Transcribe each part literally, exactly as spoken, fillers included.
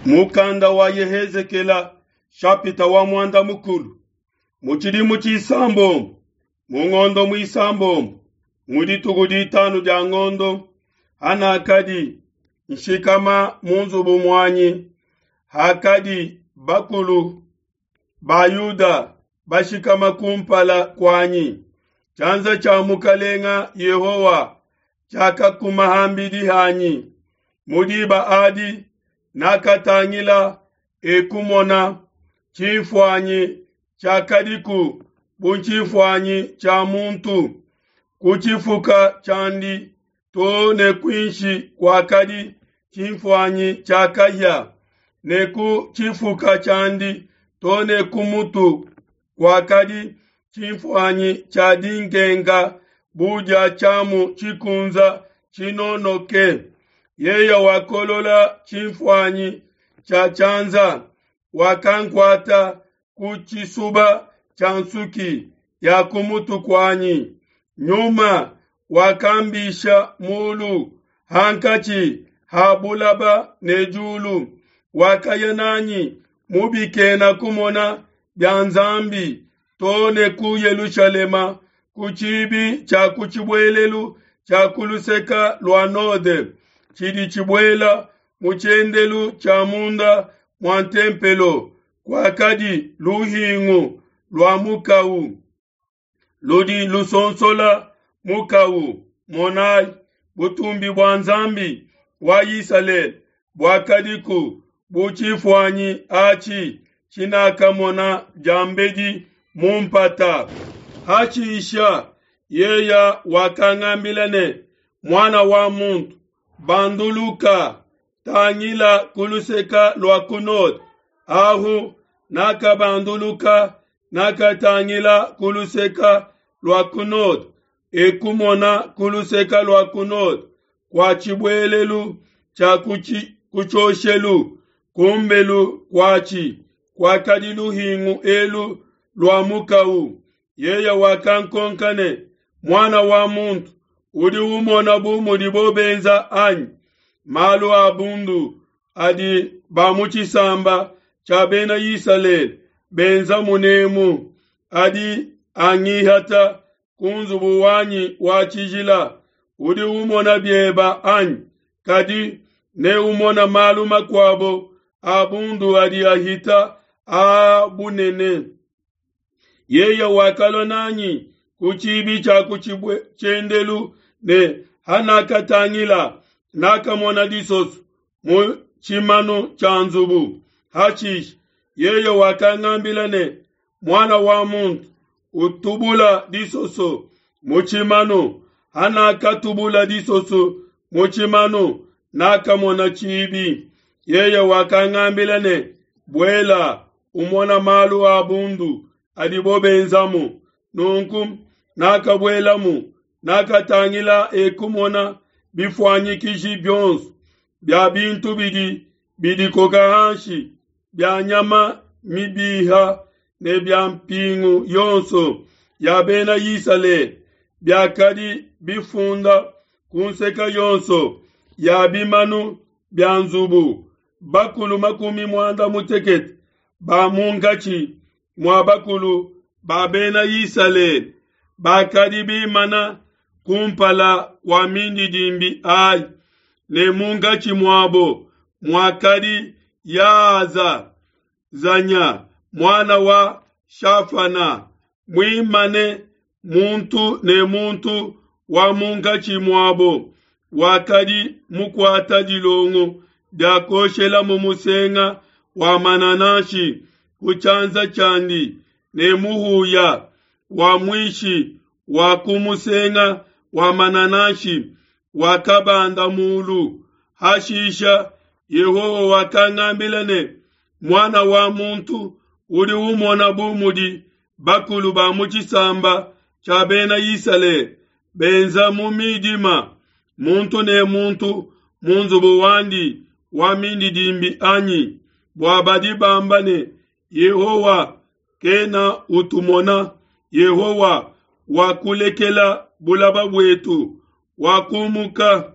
Mukanda wa Yehezekela shapita wa mwanda mukulu mu tshidimu tshisambombo mu ngondo muisambombo mu dituku ditanu dia ngondo hanakadi nshikama mu nzubu muanyi hakadi bakulu ba Yuda bashikama kumpala kuanyi tshianza tshia mukalenga Yehowa tshiakakuma hambidi hanyi mu diba adi nakatangila ekumona tshinfuanyi tshiakadiku bu tshinfuanyi tshia muntu ku tshifuka tshiandi to ne kuinshi kuakadi tshinfuanyi tshia kahia ne ku tshifuka tshiandi to ne ku mutu kuakadi tshinfuanyi tshia dinkenka bu dia tshiamu tshikunza tshinonoke. Yeye wakolola tshinfuanyi tshia tshianza wakankuata ku tshisuba tshia nsuki ya ku mutu kuanyi. Nyuma wakambisha mulu hankatshi ha bulaba ne diulu, wakaya nanyi mu bikena kumona bia Nzambi to ne ku Yelushalema ku tshibi tshia ku tshibuelelu tshia ku luseke lua node tshidi tshibuela mu tshiendelu tshia munda mua ntempelo kuakadi luhingu lua mukau ludi lusonsola mukau. Monai, butumbi bua Nzambi wa Isalele buakadiku bu tshifuanyi atshi tshinakamona diambedi mu mpata. Hashisha yeye wakangambila ne, Muana wa muntu, banduluka, tangila ku luseke lua ku node. Ahu nakabanduluka, nakatangila ku luseke lua ku node, ekumona ku luseke lua ku node kua tshibuelelu tshia ku tshioshelu kumbelu kuatshi kuakadi luhingu elu lua mukau. Yeye wakankonka ne, Muana wa muntu, udi umona bu mudibo benza anyi? Malu a bundu adi ba mu tshisamba tshia bena Isalele benza munemu adi angihata ku nzubu wanyi wa tshijila. Udi umona bieba anyi? Kadi ne umona malu makuabo a bundu adi ahita a bunene. Yeye wakalua nanyi ku tshibi tshia ku tshiendelu ne hanakatangila nakamona disoso mu tshimanu tshia nzubu. Hashisha yeye wakangambila ne, Muana wa muntu, utubula disoso mu tshimanu. Hanakatubula disoso mu tshimanu nakamona tshibi. Yeye wakangambila ne, Buela umona malu a bundu adibo benzamu. Nunku nakabuelamu, nakatangila ekumona bifuanyikiji bionso bia bintu bidi bidikoka hanshi bia nyama mibiha ne bia mpingu yonso ya bena Isalele biakadi bifunda ku nseke yonso ya bimanu bia nzubu. Bakulu makumi muanda mutekete ba munkatshi mua bakulu ba bena Isalele bakadi bimana kumpala kua mindidimbi ayi, ne munkatshi muabo muakadi Yaza Zanya muana wa Shafana muimane muntu ne muntu wa munkatshi muabo wakadi mukuata dilongo dia kuoshelamu musenga wa manananshi ku tshianza tshiandi ne muhuya wa muishi wa ku musenga wa manananshi wakabanda mulu. Hashisha Yehowa wakangambila ne, Muana wa muntu, udi umona bu mudi bakulu ba mu tshisamba tshia bena Isalele benza mu midima, muntu ne muntu mu nzubu wandi wa mindidimbi anyi? Bua badi bamba ne, Yehowa kena utumona, Yehowa wakulekela bulaba buetu, wakumuka.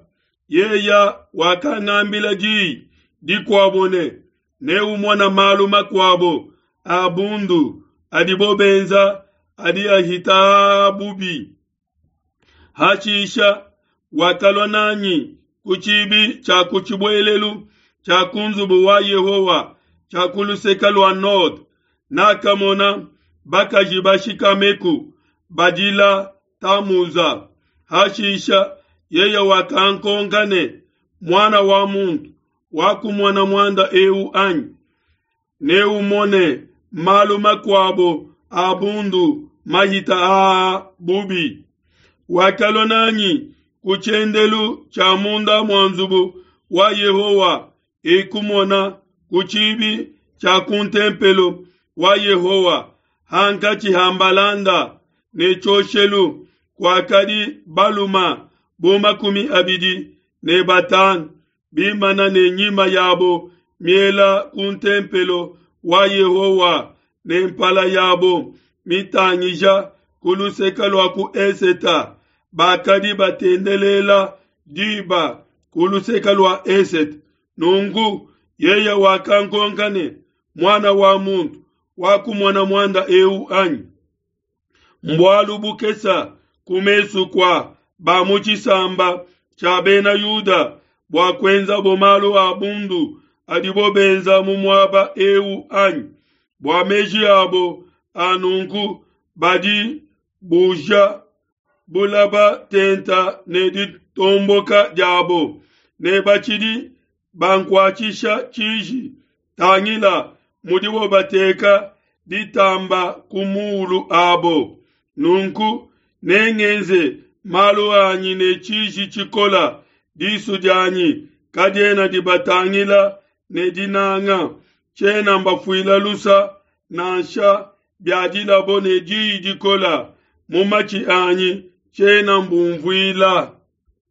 Yeye wakangambila diyi dikuabo ne, Neumone malu makuabo a bundu adibo benza adi ahita aa bubi. Hashisha wakalua n'anyi ku tshibi tshia ku tshibuelelu tshia ku nzubu wa Yehowa tshia ku luseke lua node. Nakamona bakaji bashikameku badila Tamuza. Hashisha yeye wakankonka ne, Muana wa muntu, wakumona muanda eu anyi? Neumone malu makuabo a bundu mahita aa bubi. Wakalua n'anyi ku tshiendelu tshia munda mua nzubu wa Yehowa, ekumona ku tshibi tshia ku ntempelo wa Yehowa, hankatshi ha mbalanda ne tshioshelu, kuakadi balume bu makumi abidi ne batanu bimana ne nyima yabo miela ku ntempelo wa Yehowa ne mpala yabo mitangija ku luseke lua ku esete, bakadi batendelela diba ku luseke lua esete. Nunku yeye wakankonka ne, Muana wa muntu, wakumona muanda eu anyi? Mbualu bukese ku mesu kua ba mu tshisamba tshia Bena Yuda bua kuenzabo malu a bundu adibo benza mu muaba eu anyi? Bua meji abo a nunku badi buja bulaba tenta ne ditomboka diabo, ne batshidi bankuatshisha tshiji. Tangila mudibo bateka ditamba ku muulu abo. Nunku nengenze malu anyi ne tshiji tshikola, disu dianyi kadiena dibatangila ne dinanga, tshiena mbafuila lusa nansha biadilabo ne diyi dikola mu matshi anyi tshiena mbumvuila.